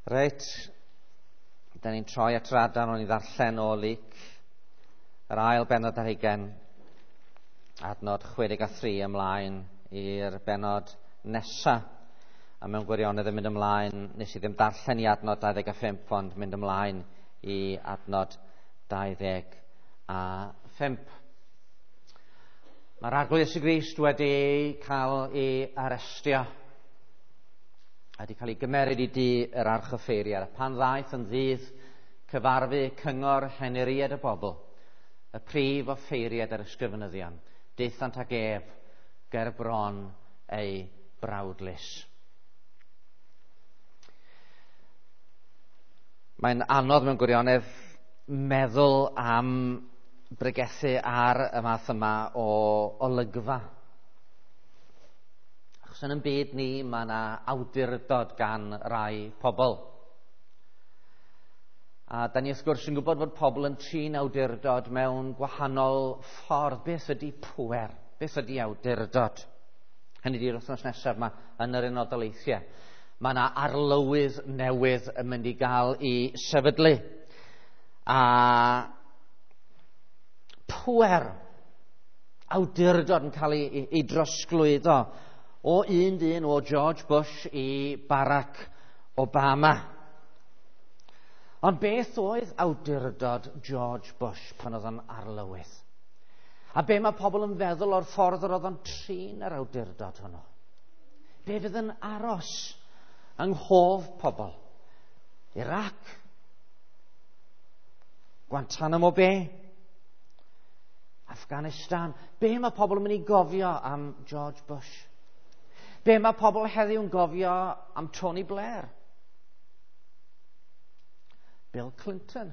Reit, da ni'n troi at yr adran o'n i ddarllen o Luc, yr ail bennod ar hugain, adnod 63 ymlaen i'r bennod nesa. A mewn gwirionedd yn mynd ymlaen, nes i ddim darllen i adnod 25, ond mynd ymlaen i adnod 25. Mae'r Arglwydd Iesu Grist wedi cael ei arestio a wedi cael ei gymeryd i dŷ yr archoffeiriad. A pan ddaeth yn ddydd cyfarfu cyngor henuriad y bobl, y prif offeiriad yr ysgrifenyddion, daethant ag ef ger bron ei brawdlys. Mae'n anodd mewn gwirionedd meddwl am bregethu ar y math yma o olygfa. Achos yn ein byd ni, mae yna awdurdod gan rai pobl. A da ni wrth gwrs yn gwybod fod pobl yn trin awdurdod mewn gwahanol ffordd. Beth ydy pŵer? Beth ydy awdurdod? Hynny ydy'r wythnos nesaf yma yn yr Unol Daleithiau. Mae yna arlywydd newydd yn mynd i gael ei sefydlu. A pŵer, awdurdod yn cael ei drosglwyddo o un dyn, o George Bush i Barack Obama. Ond beth oedd awdurdod George Bush pan oedd o'n arlywydd? A be mae pobl yn feddwl o'r ffordd yr oedd o'n trin yr awdurdod hwnnw? Be fydd yn aros yng nghof pobl? Iraq? Guantanamo Bay? Afghanistan? Be mae pobl yn mynd i gofio am George Bush? Be mae pobl heddiw'n gofio am Tony Blair? Bill Clinton.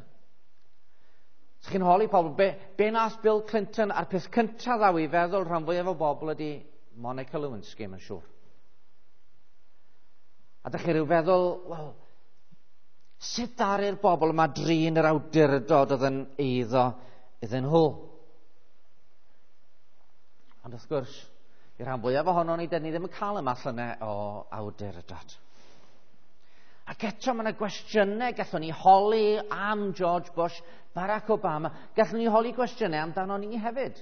Sych chi'n holi pobl, be nath Bill Clinton, a'r peth cyntaf ddaw i feddwl rhan fwyaf o bobl ydy Monica Lewinsky, mae'n siŵr. A dych chi rhyw feddwl, wel, sut ddaru'r bobl yma drin yr awdurdod oedd yn eiddo iddyn nhw? Ond wrth gwrs, i'r rhan fwyaf ohono ni, dyn ni ddim yn cael y math yna o awdurdod. Ac eto mae yna gwestiynau gallwn ni holi am George Bush, Barack Obama, gallwn ni holi gwestiynau amdano ni hefyd.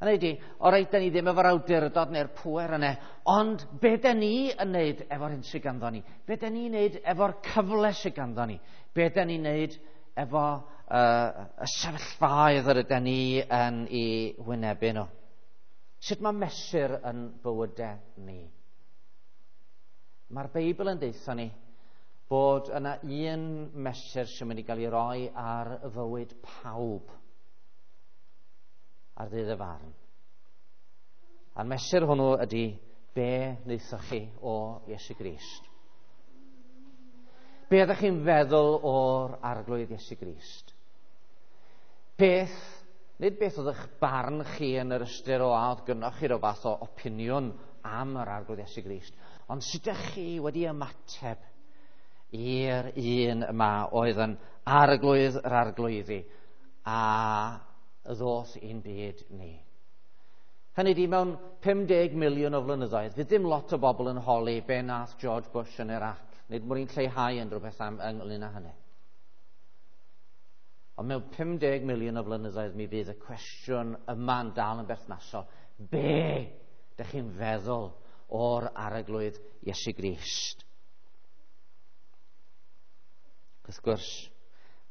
Hynny ydi, o reit, da ni ddim efo'r awdurdod neu'r pŵer yna, ond be da ni yn neud efo'r hyn sydd ganddo ni? Be da ni'n neud efo'r cyfle sydd ganddo ni? Be da ni'n neud efo y sefyllfaoedd yr ydyn ni yn ei wynebu nhw? Sut mae mesur yn bywydau ni? Mae'r Beibl yn deutha ni bod yna un mesur sy'n mynd i gael ei roi ar fywyd pawb ar ddydd y farn. A'r mesur hwnnw ydy be wnaethoch chi o Iesu Grist. Be ydych chi'n feddwl o'r Arglwydd Iesu Grist? Beth, nid beth oedd eich barn chi yn yr ystyr o a oedd gynnoch chi rhyw fath o opiniwn am yr Arglwydd Iesu Grist, ond sut ydych chi wedi ymateb i'r un yma oedd yn Arglwydd yr Arglwyddi a ddoth i'n byd ni. Hynny ydi, mewn 50 miliwn o flynyddoedd, fydd ddim lot o bobl yn holi be nath George Bush yn Iraq. Nid mwyn lleihau yn rhywbeth am ynglyn â hynny. Ond mewn 50 miliwn o flynyddoedd mi fydd y cwestiwn yma'n dal yn berthnasol. Be dych chi'n feddwl o'r Arglwydd Iesu Grist? Wrth gwrs,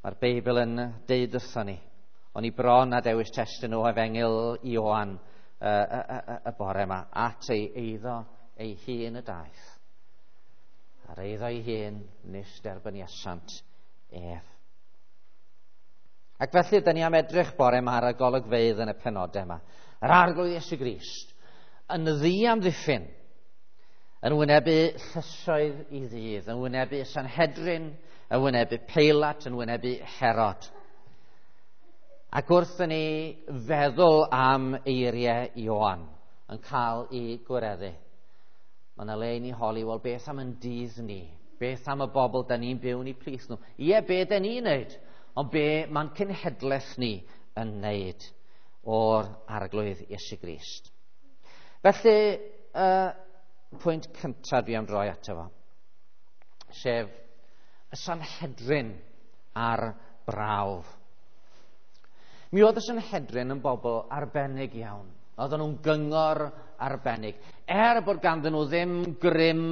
mae'r Beibl yn deud wrthon ni. O'n i bron a dewis testun o Efengyl Ioan y bore yma, at ei eiddo ei hun y daeth. A'r eiddo ei hun nis derbyniasant ef. Ac felly, da ni am edrych bore yma ar y golygfeydd yn y penodau yma. Yr Arglwydd Iesu Grist yn ddiamddiffyn, yn wynebu llysoedd i ddydd, yn wynebu Sanhedrin, yn wynebu Peilat, yn wynebu Herod. Ac wrth i ni feddwl am eiriau Ioan yn cael ei gwireddu, mae yna le i ni holi, wel, beth am yn dydd ni? Beth am y bobl da ni'n byw yn eu plith nhw? Ie, be da ni'n neud? Ond be mae'n cenhedlaeth ni yn neud o'r Arglwydd Iesu Grist? Felly, pwynt cyntaf dwi am droi ato fo, sef y Sanhedrin a'r brawf. Mi oedd y Sanhedrin yn bobl arbennig iawn. Oedden nhw'n gyngor arbennig. Er bod ganddyn nhw ddim grym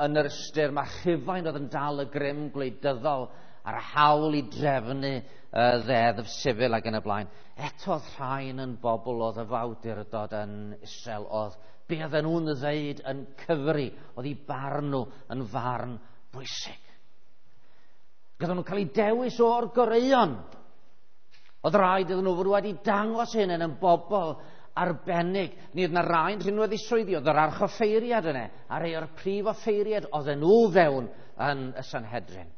yn yr ystyr, mae Rhufain oedd yn dal y grym gwleidyddol a'r hawl i drefnu y ddeddf sifil ac yn y blaen. Eto oedd rhain yn bobl oedd y fawdurdod yn Israel, oedd be oedden nhw'n ddeud yn cyfri, oedd eu barn nhw yn farn bwysig. Gydden nhw'n cael eu dewis o'r goreuon. Oedd rhaid iddyn nhw fod wedi dangos hyn yn bobl arbennig. Ni oedd yna rai'n rhinwedd i swyddi, oedd yr archoffeiriad yna, a rhai o'r prif offeiriad oedden nhw fewn yn y Sanhedrin.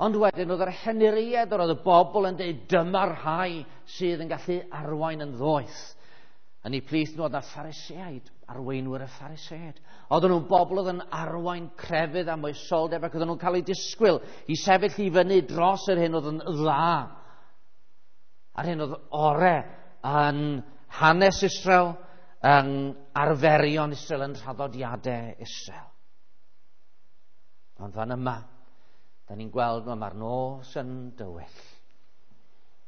Ond wedyn oedd yr henuriaid, oedd y bobl yn dweud dyma'r rhai sydd yn gallu arwain yn ddoeth. Yn eu plith nhw oedd yna Phariseaid, arweinwyr y Phariseaid. Oedden nhw'n bobl oedd yn arwain crefydd a moesoldeb ac oedden nhw'n cael eu disgwyl i sefyll i fyny dros yr hyn oedd yn dda. A'r hyn oedd ore yn hanes Israel, yn arferion Israel, yn traddodiadau Israel. Ond fan yma, da ni'n gweld mae'r nos yn dywyll.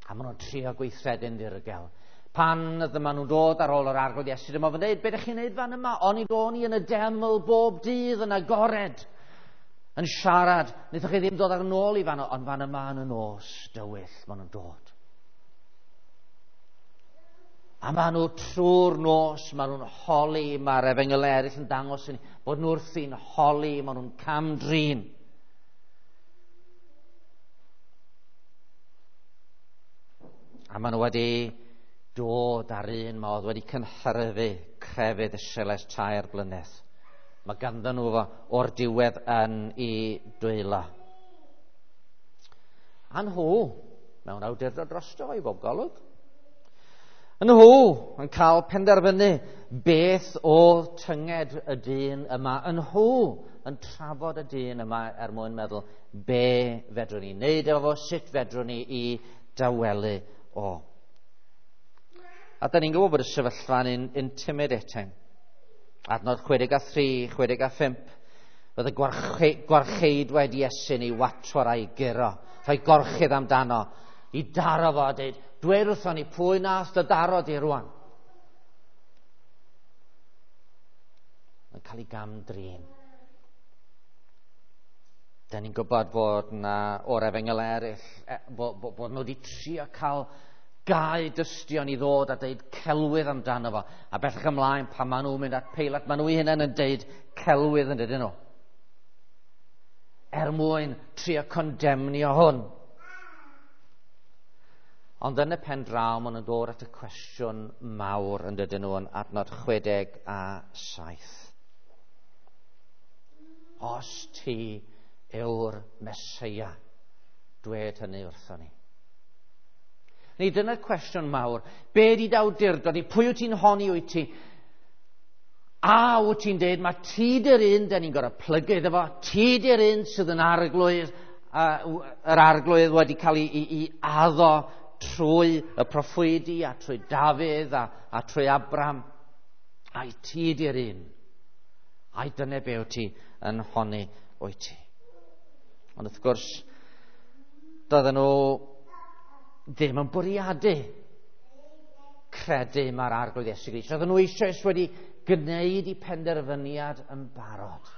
A maen nhw'n trio gweithredu'n ddirgel. Pan dyma nhw'n dod ar ôl yr Arglwydd Iesu, dyma fo'n dweud, be ydych chi'n neud fan yma? Oni o'n i yn y deml bob dydd yn agored, yn siarad. Wnaethoch chi ddim dod ar nôl i fan, ond fan yma yn y nos dywyll, maen nhw'n dod. A maen nhw trwy'r nos, maen nhw'n holi, mae'r efengylau eraill yn dangos i ni bod nhw wrthi'n holi, maen nhw'n cam-drin. A maen nhw wedi dod ar un modd, wedi cynhyrfu crefydd Israel ers 3 blynedd. Mae ganddyn nhw fo o'r diwedd yn ei dwylo. A nhw, mewn awdurdod drosto i bob golwg. Nhw yn cael penderfynu beth oedd tynged y dyn yma. Nhw yn trafod y dyn yma er mwyn meddwl be fedrwn ni wneud efo fo, sut fedrwn ni i dawelu o. A da ni'n gwybod bod y sefyllfa'n intimidating. Adnod 63, 65, roedd y gwarcheidwaid Iesu'n ei watwar a'i guro, rhoi gorchudd amdano, i daro fo a dweud, dweud wrthon ni pwy nath dy daro di rwan. Yn cael ei gam-drin. Da ni'n gwybod bod na o'r efengyl eraill, bod nhw wedi trio cael gau dystion i ddod a deud celwydd amdano fo. A bellach ymlaen, pan maen nhw'n mynd at Peilat, maen nhw eu hunain yn deud celwydd yn dydyn nhw. Er mwyn trio condemnio hwn. Ond yn y pen draw, maen nhw'n dod at y cwestiwn mawr yn dydyn nhw yn adnod 67. Os ti yw'r Meseia, dwed hynny wrthon ni. Neu dyna'r cwestiwn mawr. Be di dy awdurdod di? Pwy wyt ti'n honni wyt ti? A wyt ti'n deud, mae ti di'r un da ni'n gorfod plygu iddo fo, ti di'r un sydd yn arglwydd, yr arglwydd wedi cael ei addo trwy y proffwydi a trwy Dafydd a trwy Abram. Ai ti di'r un? Ai dyna be wyt ti yn honni wyt ti? Ond wrth gwrs, doedden nhw ddim yn bwriadu credu mae'r Arglwydd Iesu Grist. Oedden nhw eisoes wedi gwneud eu penderfyniad yn barod.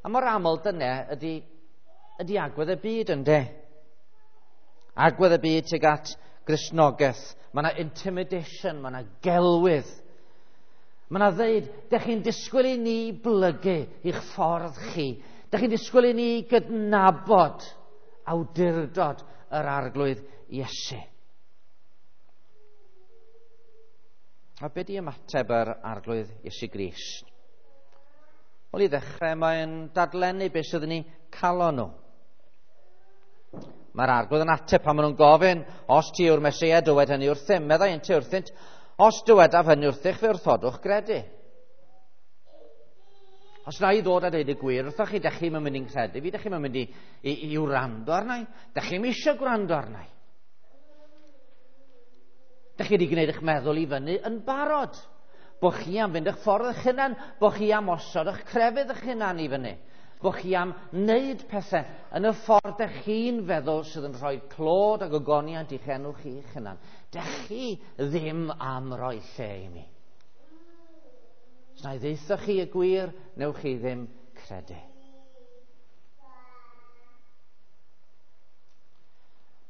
A mor aml dyna ydy agwedd y byd ynde. Agwedd y byd tuag at Gristnogaeth. Mae yna intimidation, mae yna gelwydd. Mae yna ddeud, dych chi'n disgwyl i ni blygu i'ch ffordd chi. Dych chi'n disgwyl i ni gydnabod awdurdod yr Arglwydd Iesu. A be di ymateb yr Arglwydd Iesu Grist? Wel, i ddechrau mae'n dadlennu beth sydd yn eu calon nhw. Mae'r Arglwydd yn ateb pan maen nhw'n gofyn, os ti yw'r Meseia, dywed hynny wrthym. Meddai ynte wrthynt, os dywedaf hynny wrthych, fe wrthodwch gredu. Os na i ddod a dweud y gwir wrthoch chi, dych chi'm yn mynd i'n credu fi, dych chi'm yn mynd i wrando arna i, dych chi'm eisiau gwrando arna i. Dych chi wedi gwneud eich meddwl i fyny yn barod. Bo chi am fynd eich ffordd eich hunan, bo chi am osod eich crefydd eich hunan i fyny. Bo chi am wneud pethau yn y ffordd dych chi'n feddwl sydd yn rhoi clod ac ogoniant i'ch enw chi eich hunan. Dych chi ddim am roi lle i mi. Os na i ddeutha chi y gwir, newch chi ddim credu.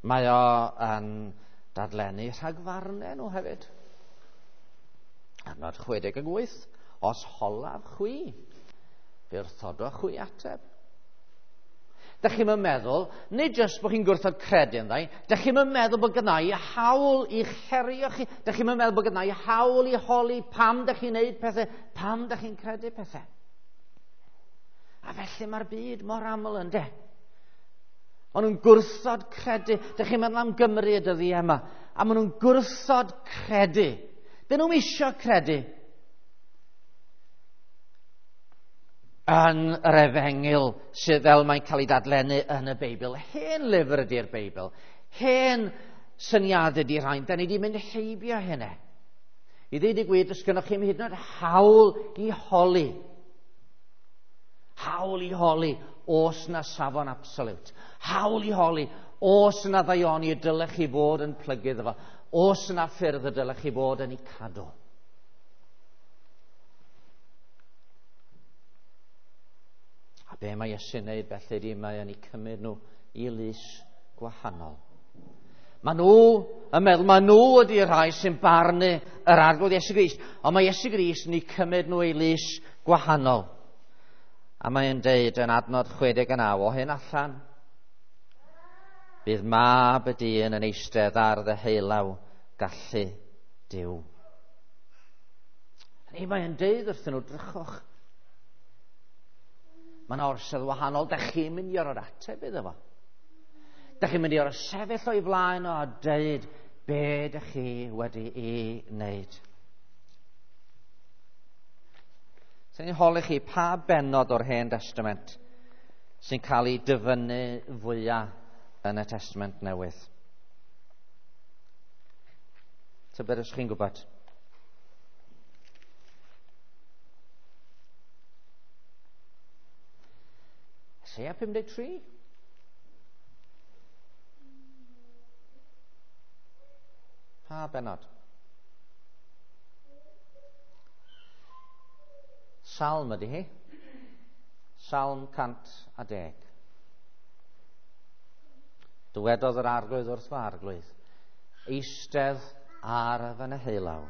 Mae o yn dadlennu rhagfarnau nhw hefyd. Adnod 68, os holaf chwi, fe wrthodoch chwi ateb. Dych chi'm yn meddwl, nid jyst bod chi'n gwrthod credu ynddo, dych chi'm yn meddwl bod gynna i hawl i'ch herio chi, dych chi'm yn meddwl bod gynna i hawl i holi pam dych chi'n neud pethau, pam dych chi'n credu pethau. A felly mae'r byd mor aml yn de. Maen nhw'n gwrthod credu. Dych chi'n meddwl am Gymru y dyddiau yma. A maen nhw'n gwrthod credu. Dyn nhw'n isio credu yn yr efengyl sydd fel mae'n cael ei dadlennu yn y Beibl. Hen lyfr ydy'r Beibl. Hen syniadau ydy'r rhain. Da ni wedi mynd heibio hynny. I ddweud y gwir, does gennych chi'm hyd yn oed hawl i holi. Hawl i holi os na safon absoliwt. Hawl i holi os na ddaioni y dylech chi fod yn plygu iddo fo. Os na ffyrdd y dylech chi fod yn ei cadw. A be mae Iesu'n neud felly ydy mae o'n eu cymryd nhw i lys gwahanol. Mae nhw yn meddwl, mae nhw ydy'r rhai sy'n barnu yr Arglwydd Iesu Grist, ond mae Iesu Grist yn eu cymryd nhw i lys gwahanol. A mae'n deud yn adnod 69, o hyn allan, bydd mab y dyn yn eistedd ar ddeheulaw gallu Duw. Neu mae'n deud wrthyn nhw, drychwch. Mae'n orsedd wahanol, da chi'n mynd i orfod ateb iddo fo. Da chi'n mynd i orfod sefyll o'i flaen o a deud be da chi wedi ei wneud. Sy'n ni'n holi chi pa bennod o'r Hen Testament sy'n cael ei dyfynnu fwyaf yn y Testament Newydd? Tybed os chi'n gwybod? Eseia 53? Pa bennod? Salm ydy hi. Salm 110. Dywedodd yr Arglwydd wrth fy Arglwydd, eistedd ar fy neheulaw,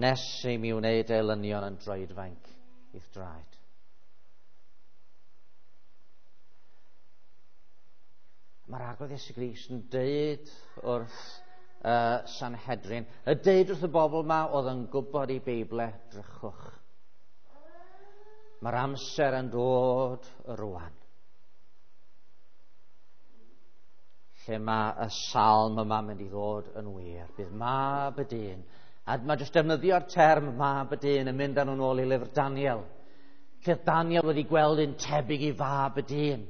nes i mi wneud elynion yn droedfainc i'th draed. Mae'r Arglwydd Iesu Grist yn deud wrth Sanhedrin, y deud wrth y bobl yma oedd yn gwybod ei Beible, drychwch. Mae'r amser yn dod rwan. Lle mae y salm yma mynd i ddod yn wir. Bydd mab y dyn. A mae jyst defnyddio'r term mab y dyn yn mynd â nhw'n ôl i lyfr Daniel. Lle Daniel wedi gweld un tebyg i fab y dyn.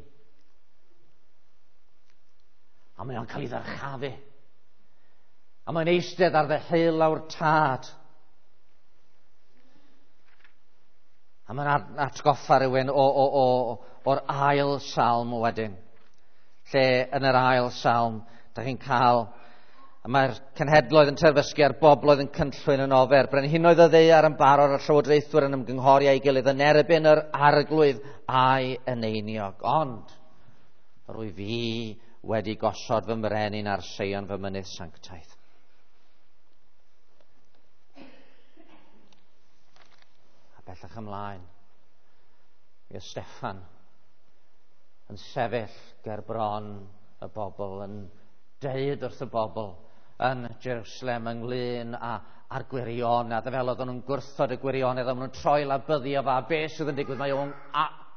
A mae o'n cael ei ddyrchafu. A mae'n eistedd ar ddeheulaw'r tad. A mae'n atgoffa rhywun o'r ail salm wedyn. Lle yn yr ail salm, da chi'n cael, mae'r cenhedloedd yn terfysgu a'r bobloedd yn cynllwyn yn ofer. Brenhinoedd y ddaear yn barod a'r llywodraethwyr yn ymgynghori â'i gilydd yn erbyn yr Arglwydd a'i eneiniog. Ond, rwy fi wedi gosod fy mrenin ar Seion fy mynydd sanctaidd. A bellach ymlaen, mi oedd Steffan yn sefyll ger bron y bobl, yn deud wrth y bobl yn Jerusalem ynglyn â'r gwirionedd, fel oedden nhw'n gwrthod y gwirionedd, a maen nhw'n troi labyddio fo, a beth sydd yn digwydd,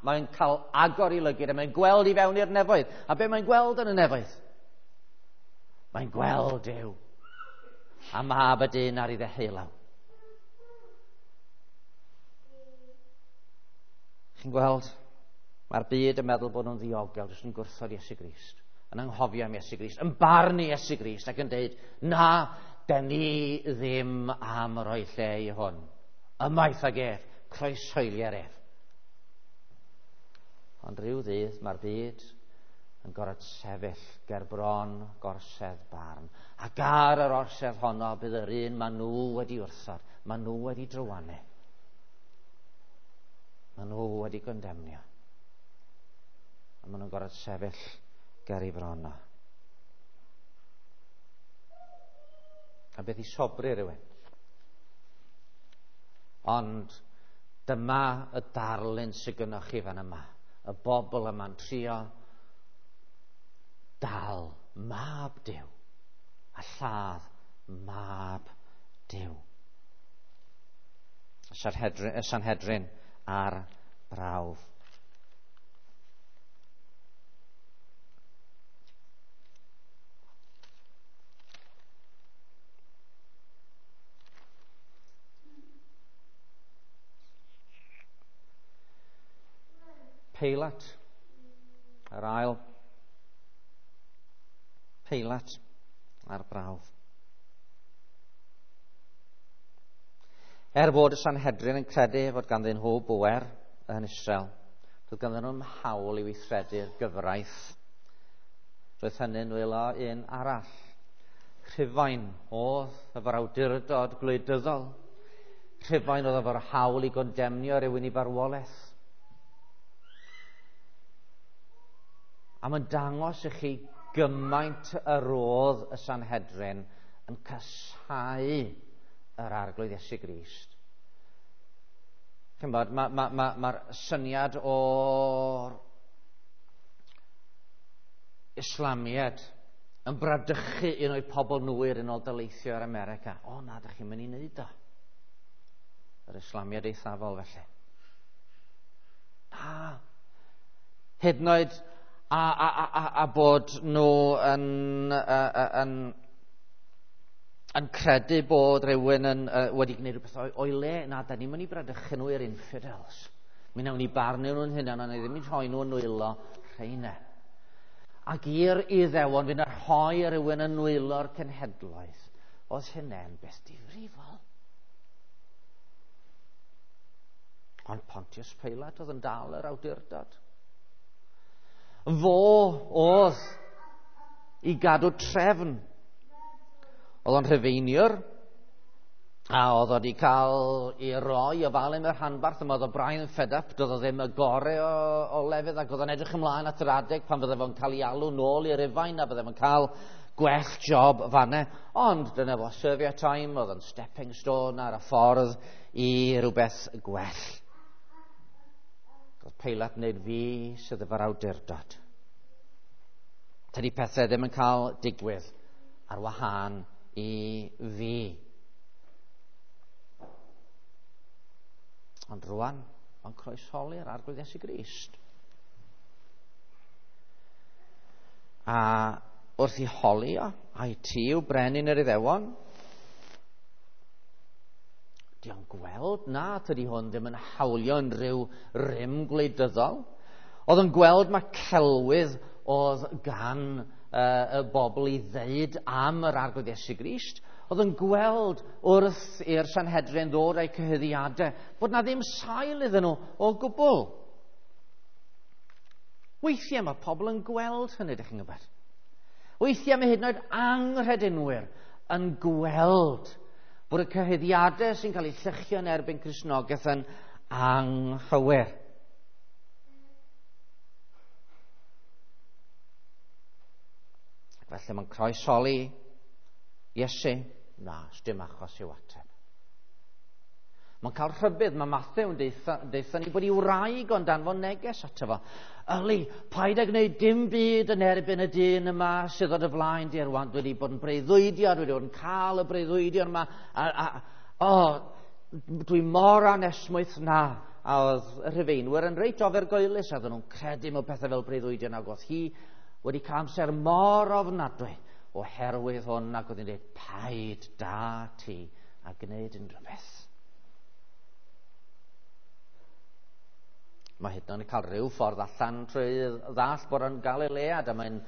mae'n cael agor i lygid, a mae'n gweld i fewn i'r nefoedd. A be mae'n gweld yn y nefoedd? Mae'n gweld Duw, a mab y dyn ar ei ddeheulaw. Chi'n gweld? Mae'r byd yn meddwl bod nhw'n ddiogel, jyst yn gwrthod Iesu Grist, yn anghofio am Iesu Grist, yn barnu Iesu Grist ac yn deud, na, den ni ddim am roi lle i hwn. Ymaith ag ef, croeshoelier ef. Ond rhyw ddydd mae'r byd yn gorfod sefyll ger bron gorsedd barn. Ac ar yr orsedd honno bydd yr un maen nhw wedi wrthod, maen nhw wedi drywanu. Maen nhw wedi gondemnio. A maen nhw'n gorfod sefyll ger ei bron o. A beth i sobri rhywun. Ond dyma y darlun sydd gynnwch chi fan yma. Y bobl yma'n trio dal mab Duw a lladd mab Duw. Y Sanhedrin ar brawf. Peilat, yr ail Peilat ar brawf. Er bod y Sanhedrin yn credu fod ganddyn nhw bŵer yn Israel, doedd ganddyn nhw'm hawl i weithredu'r gyfraith. Roedd hynny'n nwylo un arall. Rhufain oedd efo'r awdurdod gwleidyddol. Rhufain oedd efo'r hawl i gondemnio rhywun i farwolaeth. A mae'n dangos i chi gymaint yr oedd y Sanhedrin yn casáu yr Arglwydd Iesu Grist. Ch'mod, mae'r ma, ma, ma syniad o'r Islamiad yn bradychu un o'i pobl nhw i'r Unol Daleithiau ar America. O na, da chi'n mynd i wneud o. Yr Islamiad eithafol felly. Na. Hyd yn oed a bod nhw yn credu bod rhywun yn, wedi gwneud rhywbeth o'i le. Na, da ni'n mynd i bradychu nhw i'r infidels. Mi wnawn ni barnu nhw'n hunan, ond ni ddim yn rhoi nhw yn nwylo rheina. Ac i'r Iddewon fynd a rhoi rhywun yn nwylo'r cenhedloedd, oedd hynny'n beth difrifol. Ond Pontius Pilate oedd yn dal yr awdurdod. Fo oedd i gadw trefn. Oedd o'n rhufeiniwr, a oedd o wedi cael ei roi o falu mewn rhanbarth yma, oedd o braidd yn fed up, doedd o ddim y gorau o lefydd, ac oedd o'n edrych ymlaen at yr adeg pan fydde fo'n cael ei alw nôl i'r Rufain, a bydde fo'n cael gwell job fanne. Ond dyna fo, serve your time, oedd o'n stepping stone ar y ffordd i rhywbeth gwell. Oedd Peilat yn dweud, fi sydd efo'r awdurdod. Tydi pethau ddim yn cael digwydd ar wahân i fi. Ond rwan, mae'n croesholi'r Arglwydd Iesu Grist. A wrth i holi o, ai ti yw brenin yr Iddewon? Di o'n gweld na, tydi hwn ddim yn hawlio unrhyw rym gwleidyddol. Oedd yn gweld mae celwydd oedd gan y bobl i ddeud am yr Arglwydd Iesu Grist. Oedd yn gweld wrth i'r Sanhedrin ddod â'u cyhuddiadau bod na ddim sail iddyn nhw o gwbl. Weithiau mae pobl yn gweld hynny, ydych chi'n gwybod. Weithiau mae hyd yn oed anghredinwyr yn gweld bod y cyhuddiadau sy'n cael eu llychio yn erbyn Cristnogaeth yn anghywir. Ac felly mae'n croesholi Iesu. Na, dim achos i'w ateb. Mae'n cael rhybudd, mae Mathew yn deutha ni bod ei wraig o'n danfon neges ato fo. Yli, paid â gwneud dim byd yn erbyn y dyn yma sydd o dy flaen di rwan. Dwi wedi bod yn breuddwydio, dwi wedi bod yn cael y breuddwydion yma. Dwi mor anesmwyth na. A oedd y Rhufeinwyr yn reit ofergoelus, a oedden nhw'n credu mewn pethau fel breuddwydion, ac oedd hi wedi cael amser mor ofnadwy oherwydd hwn, ac oedd hi'n dweud, paid da ti a gwneud unrhyw beth. Mae hyd yn oed yn cael rhyw ffordd allan trwy ddall bod o'n Galilead, a mae'n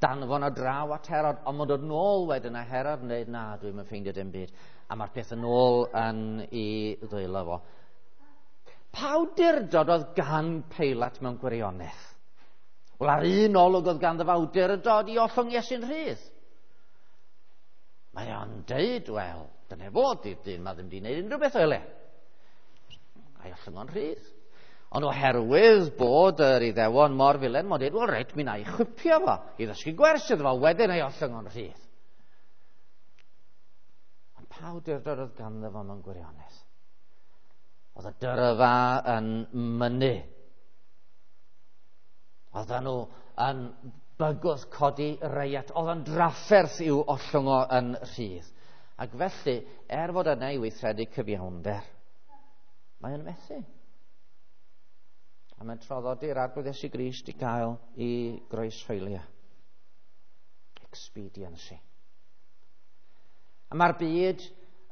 danfon o draw at Herod, ond mae'n dod nôl wedyn a Herod yn dweud, na, dwi'n mynd ffeindio dim byd. A mae'r peth yn ôl yn ei ddwylo fo. Pa awdurdod oedd gan Peilat mewn gwirionedd? Wel, ar un olwg oedd ganddo fo awdurdod i ollwng Iesu'n rhydd. Mae o'n deud, wel, dyna fo, di'r dyn ma ddim wedi gwneud unrhyw beth o'i le. A'i ollwng o'n rhydd. Ond oherwydd bod yr Iddewon mor filen, mae'n dweud, wel reit, mi na i chwipio fo, i ddysgu gwers iddo fo, wedyn ei ollwng o'n rhydd. Ond pa awdurdod oedd ganddo fo mewn gwirionedd? Oedd y dyrfa yn mynnu. Oedden nhw yn bygwth codi reiat. Oedd yn drafferth i'w ollwng o yn rhydd. Ac felly, er fod yna i weithredu cyfiawnder, mae o'n methu. A mae'n traddodi'r Arglwydd Iesu Grist i gael i groeshoelio. Expediency. A mae'r byd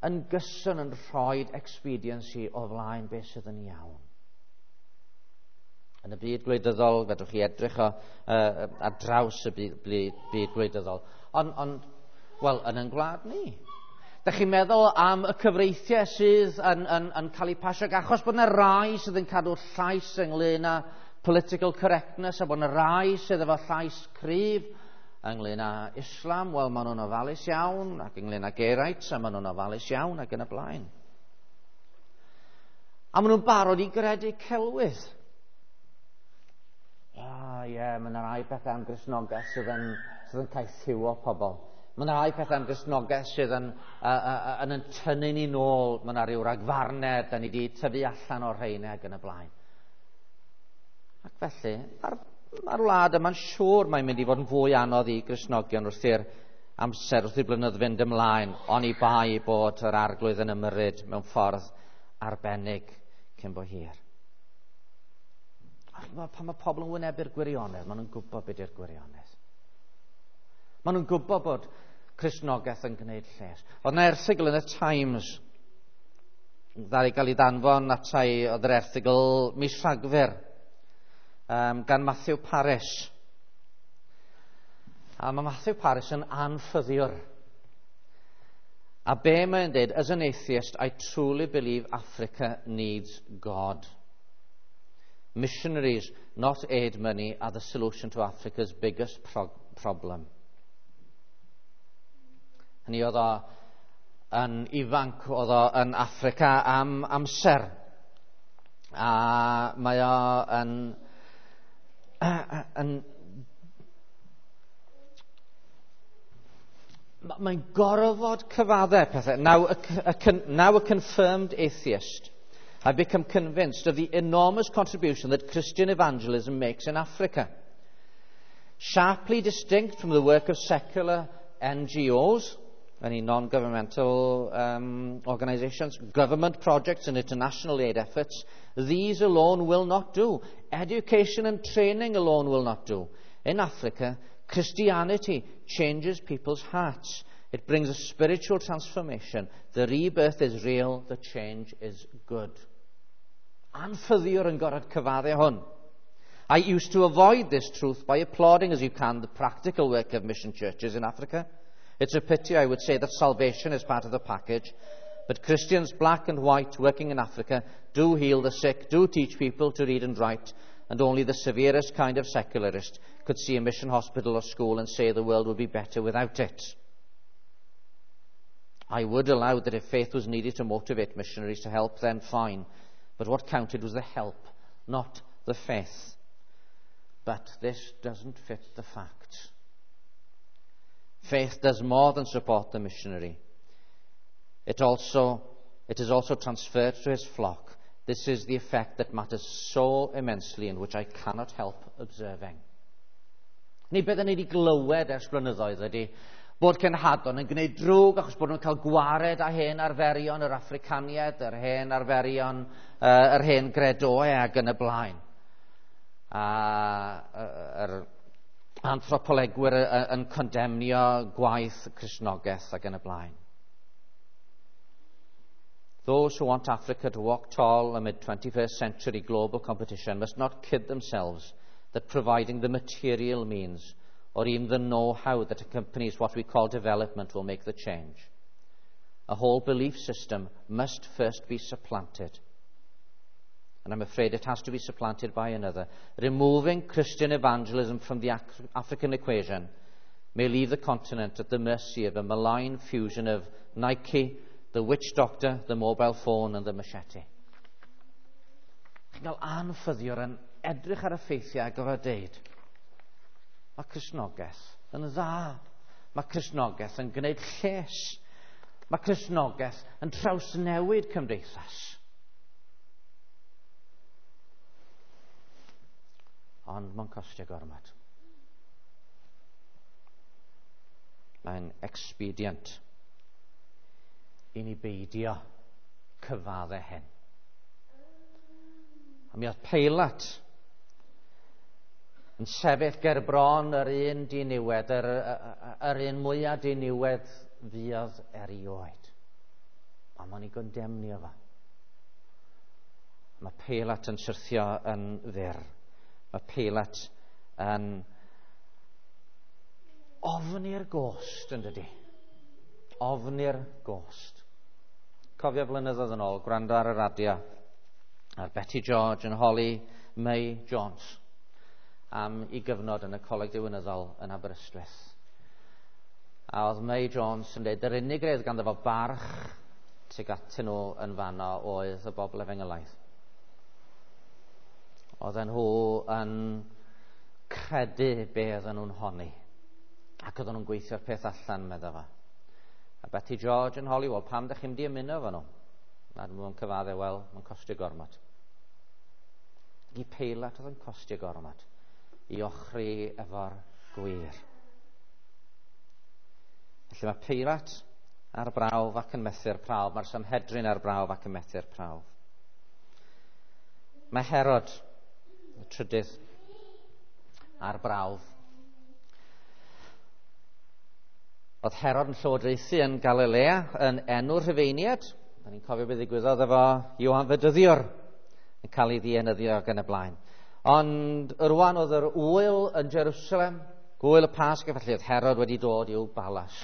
yn gyson yn rhoi expediency o flaen beth sydd yn iawn. Yn y byd gwleidyddol, fedrwch chi edrych o, ar draws y byd, byd gwleidyddol. Ond, on, wel, yn ein gwlad ni. Da chi'n meddwl am y cyfreithiau sydd yn, yn, yn cael eu pasio, achos bod yna rai sydd yn cadw llais ynglyn â political correctness, a bod yna rai sydd efo llais cryf ynglyn â Islam, wel, maen nhw'n ofalus iawn, ac ynglyn â gay rights, a maen nhw'n ofalus iawn, ac yn y blaen. A maen nhw'n barod i gredu celwydd. Ah, ie, yeah, mae yna rai pethau am Gristnogaeth sydd yn, sydd yn caethiwo pobl. Mae yna rai pethau am Gristnogaeth sydd yn, yn, yn tynnu ni nôl. Mae yna rhyw ragfarnau, da ni wedi tyfu allan o'r rheina ac yn y blaen. Ac felly, mae'r ma wlad yma'n siŵr mae'n mynd i fod yn fwy anodd i Gristnogion wrth i'r amser, wrth i'r blynyddoedd fynd ymlaen, oni bai bod yr Arglwydd yn ymyrryd mewn ffordd arbennig cyn bo hir. Pan mae pobl yn wynebu'r gwirionedd, maen nhw'n gwybod beth yw'r gwirionedd. Maen nhw'n gwybod bod Cristnogaeth yn gwneud lles. Oedd yna erthygl yn y Times ddaru gael ei ddanfon atai, oedd yr erthygl mis Rhagfyr gan Matthew Parris. A mae Matthew Parris yn anffyddiwr. A be mae'n dweud, as an atheist, I truly believe Africa needs God. Missionaries, not aid money, are the solution to Africa's biggest problem. Hynny oedd o yn ifanc, oedd o yn Affrica am amser. A mae o yn, yn mae'n gorfod cyfadde pethau. Now a, a, now a confirmed atheist, I've become convinced of the enormous contribution that Christian evangelism makes in Africa. Sharply distinct from the work of secular NGOs, any non-governmental organizations, government projects and international aid efforts, these alone will not do. Education and training alone will not do. In Africa, Christianity changes people's hearts. It brings a spiritual transformation. The rebirth is real, the change is good. Anffyddiwr yn gorfod cyfadde hwn. I used to avoid this truth by applauding as you can the practical work of mission churches in Africa. It's a pity, I would say, that salvation is part of the package. But Christians, black and white, working in Africa, do heal the sick, do teach people to read and write, and only the severest kind of secularist could see a mission hospital or school and say the world would be better without it. I would allow that if faith was needed to motivate missionaries to help, then fine. But what counted was the help, not the faith. But this doesn't fit the facts. Faith does more than support the missionary. It, also, it is also transferred to his flock. This is the effect that matters so immensely and which I cannot help observing. Ni beth ni wedi glywed ers blynyddoedd ydy bod cenhadon yn gwneud drwg achos bod nhw'n cael gwared â hen arferion yr Affricaniaid, yr hen arferion, yr hen gredoau ac yn y blaen. A yr anthropolegwyr yn condemnio gwaith Cristnogaeth ac yn y blaen. Those who want Africa to walk tall amid 21st century global competition must not kid themselves that providing the material means or even the know-how that accompanies what we call development will make the change. A whole belief system must first be supplanted. And I'm afraid it has to be supplanted by another. Removing Christian evangelism from the African equation may leave the continent at the mercy of a malign fusion of Nike, the witch doctor, the mobile phone and the machete. Chi'n cael anffyddiwr yn edrych ar y ffeithiau a gofio deud, mae Cristnogaeth yn dda. Mae Cristnogaeth yn gwneud lles. Mae Cristnogaeth yn trawsnewid cymdeithas. Ond mae'n costio gormod. Mae'n expedient i ni beidio cyfadde hyn. A mi oedd Peilat yn sefyll ger bron yr un diniwed, yr un mwyaf diniwed fuodd erioed. A mae'n ei gondemnio fo. Mae Peilat yn syrthio yn fyr. Mae Peilat yn ofni'r gost, yn dydi? Ofni'r gost. Cofio blynyddoedd yn ôl, gwrando ar y radio, ar Betty George yn holi May Jones am ei gyfnod yn y Coleg Diwinyddol yn Aberystwyth. A oedd May Jones yn dweud, yr unig redd ganddo fo barch tuag atyn nhw yn fanno oedd y bobl efengylaidd. Oedden nhw yn credu be oedden nhw'n honni. Ac oedden nhw'n gweithio'r peth allan, medda fo. A Betty George yn holi, wel, pam ydych chi'n mynd i ymuno efo nhw? A nhw'n cyfadde, wel, mae'n costio gormod. I Peilat oedd yn costio gormod i ochri efo'r gwir. Felly mae Peilat ar brawf ac yn methu'r prawf. Mae'r Sanhedrin ar brawf ac yn methu'r prawf. Mae Herod, y trydydd, ar brawf. Oedd Herod yn llywodraethu yn Galilea yn enw'r Rhufeiniaid. Da ni'n cofio beth ddigwyddodd efo Ioan Fedyddiwr yn cael ei ddienyddio ac yn y blaen. Ond rwan oedd yr ŵyl yn Jerusalem, gwyl y Pasg, felly oedd Herod wedi dod i'w balas.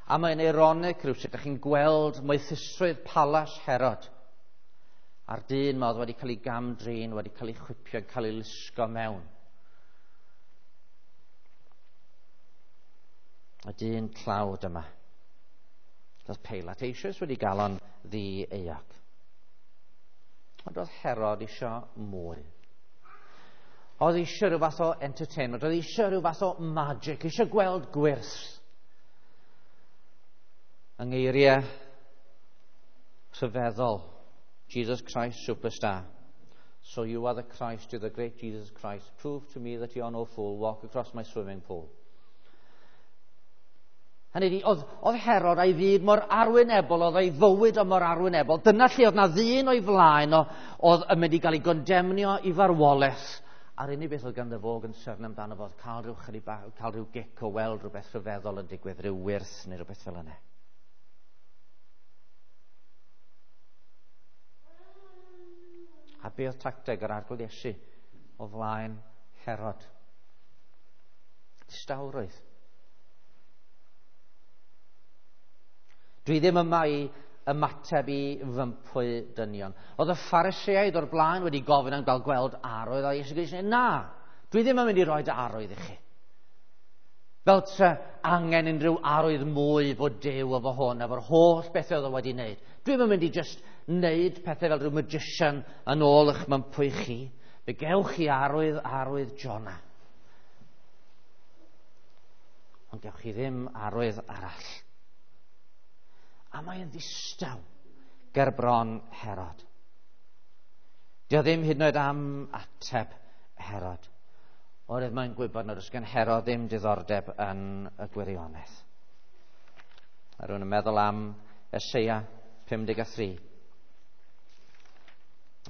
A mae'n ironic rhywsut, ydych chi'n gweld moethusrwydd palas Herod. A'r dyn ma oedd wedi cael ei gam-drin, wedi cael ei chwipio, yn cael ei lusgo mewn. Y dyn tlawd yma. Doedd Peilat eisoes wedi gael o'n ddi-euog. Ond oedd Herod eisiau mwy. Oedd eisiau rhyw fath o entertainment, oedd eisiau rhyw fath o magic, eisiau gweld gwyrth. Yng ngeiriau rhyfeddol, Jesus Christ Superstar. So you are the Christ, you're the great Jesus Christ. Prove to me that you are no fool. Walk across my swimming pool. Hynny ydi, oedd Herod a'i fyd mor arwynebol, oedd ei fywyd o mor arwynebol. Dyna lle oedd na ddyn o'i flaen o, oedd yn mynd i gael ei gondemnio i farwolaeth. A'r unig beth oedd ganddo fo gynsyrn amdano fo oedd cael rhyw chydig bach, cael rhyw gic o weld rhywbeth rhyfeddol yn digwydd, rhyw wyrth neu rhywbeth fel yna. A be oedd tacteg yr Arglwydd Iesu o flaen Herod? Distawrwydd. Dwi ddim yma i ymateb i fympwy dynion. Oedd y Phariseaid o'r blaen wedi gofyn am gael gweld arwydd, a Iesu Grist yn dweud, na, dwi ddim yn mynd i roi arwydd i chi. Fel tre angen unrhyw arwydd mwy fod Duw efo hwn, efo'r holl bethau oedd o wedi wneud. Dwi ddim yn mynd i just wneud pethau fel rhyw magician yn ôl eich mympwy chi. Fe gewch chi arwydd Jonah. Ond gewch chi ddim arwydd arall. A mae'n ddistaw ger bron Herod. Dio ddim hyd yn oed am ateb Herod. Oherwydd mae'n gwybod nad oes gan Herod ddim diddordeb yn y gwirionedd. A rhywun yn meddwl am Eseia 53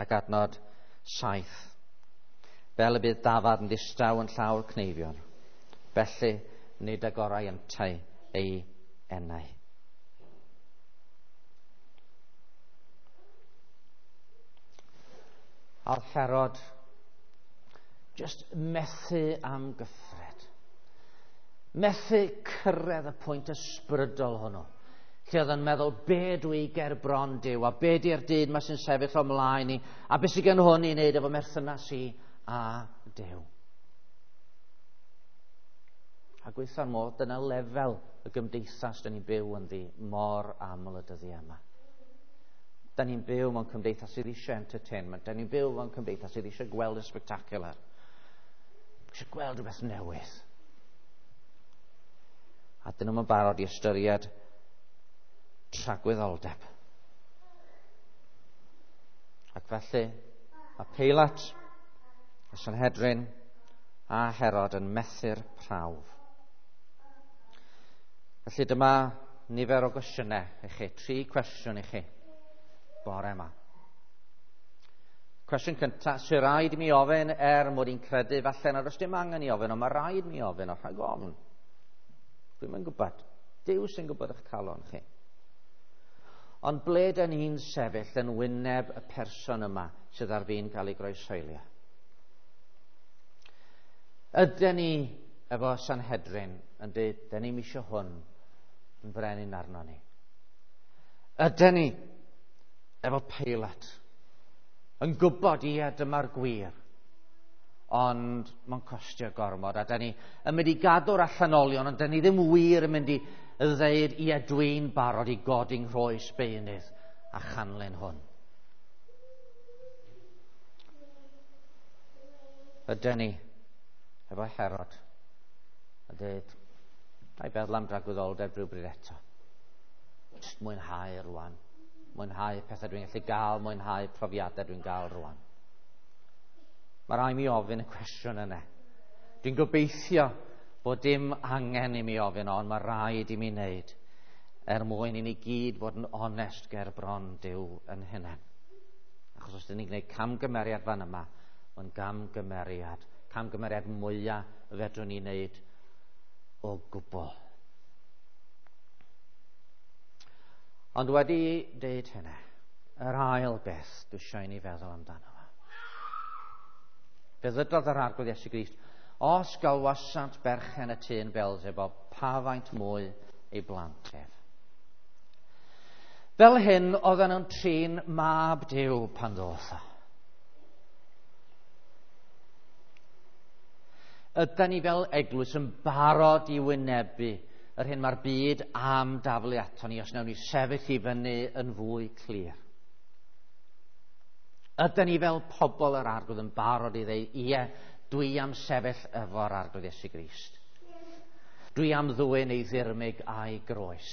ac adnod 7. Fel y bydd dafad yn ddistaw yn llawr cneifion, felly nid agorau yntau ei enau. A oedd Herod just methu am gyffred. Methu cyrraedd y pwynt ysbrydol hwnnw, lle oedd yn meddwl, be dwi ger bron Duw, a be di'r dyn ma sy'n sefyll o mlaen i, a be sydd gen hwn i wneud efo merthynas i a Duw. A gweitha'r modd, dyna lefel y gymdeithas dyn ni'n byw ynddi mor aml y dyddiau yma. Da ni'n byw mewn cymdeithas sydd eisiau entertainment. Da ni'n byw mewn cymdeithas sydd eisiau gweld y spectacular. Eisiau gweld rhywbeth newydd. A dyn nhw'n barod i ystyried tragwyddoldeb. Ac felly, mae Peilat, y Sanhedrin a Herod yn methu'r prawf. Felly dyma nifer o gwestiynau i chi, 3 cwestiwn i chi bore yma. Cwestiwn cyntaf, sy'n rhaid i mi ofyn er mod i'n credu falle nad oes dim angen i ofyn, ond mae rhaid mi ofyn o rhag ofn. Dwi'm yn gwybod. Duw sy'n gwybod eich calon chi. Ond ble dyn ni'n sefyll yn wyneb y person yma sydd ar fin cael ei groeshoelio? Ydyn ni efo Sanhedrin yn dweud, dyn ni'm eisiau hwn yn frenin arno ni? Ydyn ni efo Peilat yn gwybod, ie, dyma'r gwir, ond mae'n costio gormod, a dyn ni yn mynd i gadw'r allanolion, ond dyn ni ddim wir yn mynd i ddeud, ie, dwi'n barod i godi'n nghroes beunydd a chanlyn hwn. Ydyn ni efo Herod a dweud, na i feddwl am dragwyddoldeb rhywbryd eto. Jyst mwynhau rwan. Mwynhau pethau dwi'n gallu gael, mwynhau profiadau dwi'n gael rwan. Mae rhaid mi ofyn y cwestiwn yna. Dwi'n gobeithio bod dim angen i mi ofyn, ond mae rhaid i mi wneud er mwyn i ni gyd fod yn onest ger bron Duw yn hunain. Achos os dyn ni'n gwneud camgymeriad fan yma, mae'n gamgymeriad. Camgymeriad mwyaf fedrwn ni wneud o gwbl. Ond wedi deud hynny, yr ail beth dwi eisiau i ni feddwl amdano fo. Fe ddydodd yr Arglwydd Iesu Grist, os galwasant berchen y tŷ yn Beelzebub, pa faint mwy ei blant ef. Fel hyn oedden nhw'n trin mab Duw pan ddoth o. Ydan ni fel eglwys yn barod i wynebu yr hyn mae'r byd am daflu ato ni os wnawn ni sefyll i fyny yn fwy clir? Ydan ni fel pobl yr Arglwydd yn barod i ddeud, ie, dwi am sefyll efo'r Arglwydd Iesu Grist. Dwi am ddwyn ei ddirmyg a'i groes.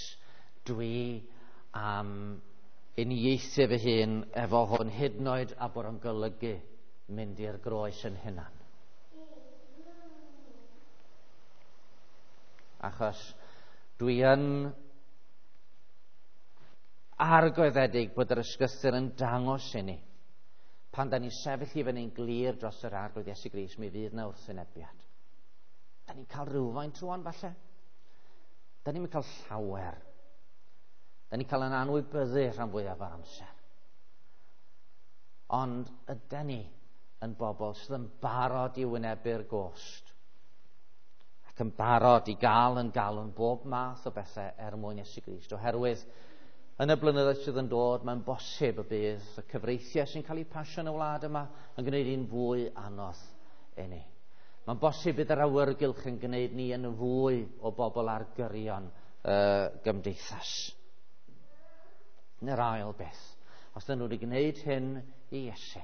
Dwi am uniaethu fy hun efo hwn, hyd yn oed a bod o'n golygu mynd i'r groes yn hunan. Achos dwi yn argoeddedig bod yr ysgrythur yn dangos i ni. Pan da ni'n sefyll i fyny'n glir dros yr Arglwydd Iesu Grist, mi fydd na wrthwynebiad. Da ni'n cael rhywfaint rwan falle. Da ni'n cael llawer. Da ni'n cael yn anwybyddu rhan fwyaf o'r amser. Ond ydan ni yn bobl sydd yn barod i wynebu'r gost ac yn barod i gael yn galwn bob math o bethau er mwyn Iesu Grist, oherwydd yn y blynyddoedd sydd yn dod, mae'n bosib y bydd y cyfreithiau sy'n cael eu pasio yn y wlad yma yn gwneud hi'n fwy anodd i ni. Mae'n bosib bydd yr awyrgylch yn gwneud ni yn fwy o bobl ar gyrion y gymdeithas. Neu'r ail beth, os dyn nhw wedi gwneud hyn i Iesu,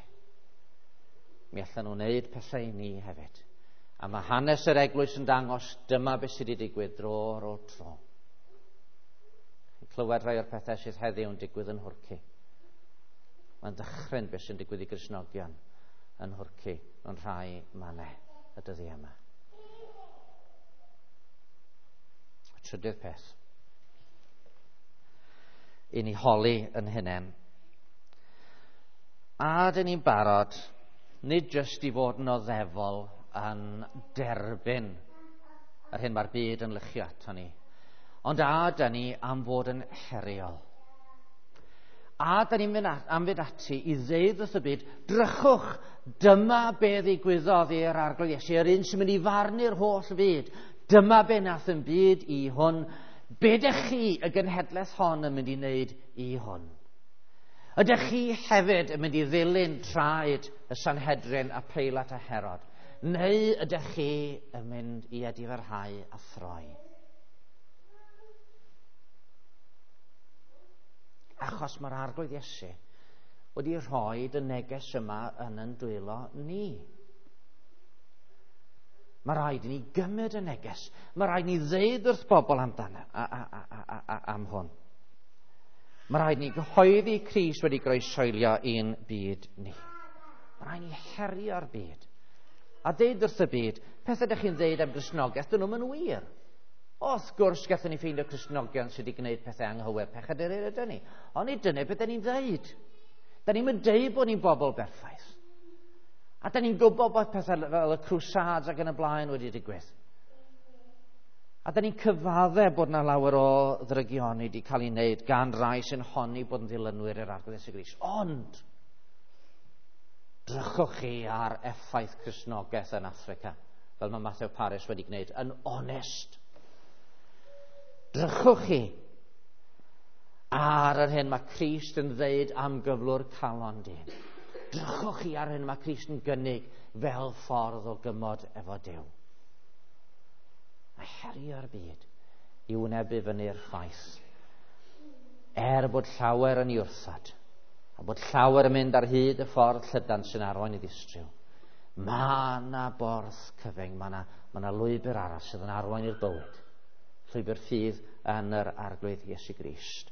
mi allan nhw wneud pethau i ni hefyd. A mae hanes yr eglwys yn dangos dyma beth sydd wedi digwydd dro ar ôl tro. Chi'n clywed rhai o'r pethau sydd heddiw yn digwydd yn Nhwrci. Mae'n ddychryn beth sy'n digwydd i Gristnogion yn Nhwrci mewn rhai mannau y dyddiau yma. Y trydydd peth i ni holi yn hunain. A dyn ni'n barod, nid jyst i fod yn oddefol yn derbyn yr hyn mae'r byd yn luchio ato ni, ond a dyn ni am fod yn heriol. A dyn ni'n mynd am fynd ati i ddeud wrth y byd, drychwch, dyma be ddigwyddodd i'r Arglwydd Iesu, yr un sy'n mynd i farnu'r holl fyd. Dyma be nath yn byd i hwn. Be dych chi, y genhedlaeth hon, yn mynd i wneud i hwn? Ydych chi hefyd yn mynd i ddilyn traed y Sanhedrin a Peilat a Herod? Neu ydych chi yn mynd i edifarhau a throi? Achos mae'r Arglwydd Iesu wedi rhoi y neges yma yn yn dwylo ni. Mae rhaid i ni gymryd y neges. Mae rhaid i ni ddeud wrth bobl amdano, am hwn. Mae rhaid i ni gyhoeddi Crist wedi groesoelio i'n byd ni. Mae rhaid i ni herio'r byd. A deud wrth y byd, pethau ydych chi'n ddeud am Gristnogaeth, dyn nhw'm yn wir. Wrth gwrs, gallwn ni ffeindio Cristnogion sydd wedi gwneud pethau anghywir, pechaduriaid ydyn ni. Ond nid dyna beth ni'n ddeud. Da ni'n mynd deud bod ni'n bobl berffaith. A da ni'n gwybod bod pethau fel y Crusades ac yn y blaen wedi digwydd. A da ni'n cyfadde bod yna lawer o ddrygioni wedi cael ei wneud gan rai sy'n honni bod yn ddilynwyr i'r Arglwydd Iesu Grist. Ond, drychwch chi ar effaith Cristnogaeth yn Affrica, fel mae Matthew Parris wedi gwneud, yn onest. Drychwch chi ar yr hyn mae Crist yn ddeud am gyflwr calon dyn. Drychwch chi ar hyn mae Crist yn gynnig fel ffordd o gymod efo Duw. A herio'r byd i wynebu fyny'r ffaith. Er bod llawer yn ei wrthod, a bod llawer yn mynd ar hyd y ffordd llydan sy'n arwain i ddistryw, mae yna borth cyfyng, mae yna, mae yna lwybr arall sydd yn arwain i'r bywyd. Llwybr ffydd yn yr Arglwydd Iesu Grist.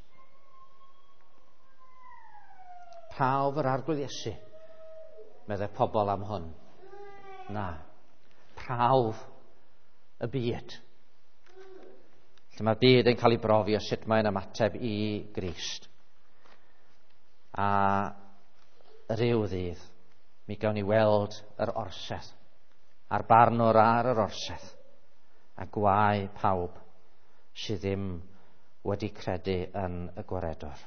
Prawf yr Arglwydd Iesu, meddai pobl am hwn. Na, prawf y byd. Lle mae'r byd yn cael ei brofi o sut mae'n ymateb i Grist. A rhyw ddydd, mi gawn ni weld yr orsedd, a'r barnwr ar yr orsedd, a gwae pawb sydd ddim wedi credu yn y gwaredwr.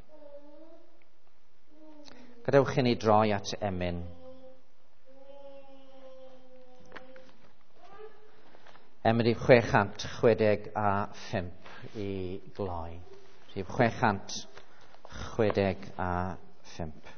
Gadewch i ni droi at emyn. Emyn rhif 665 i gloi. Rhif 665.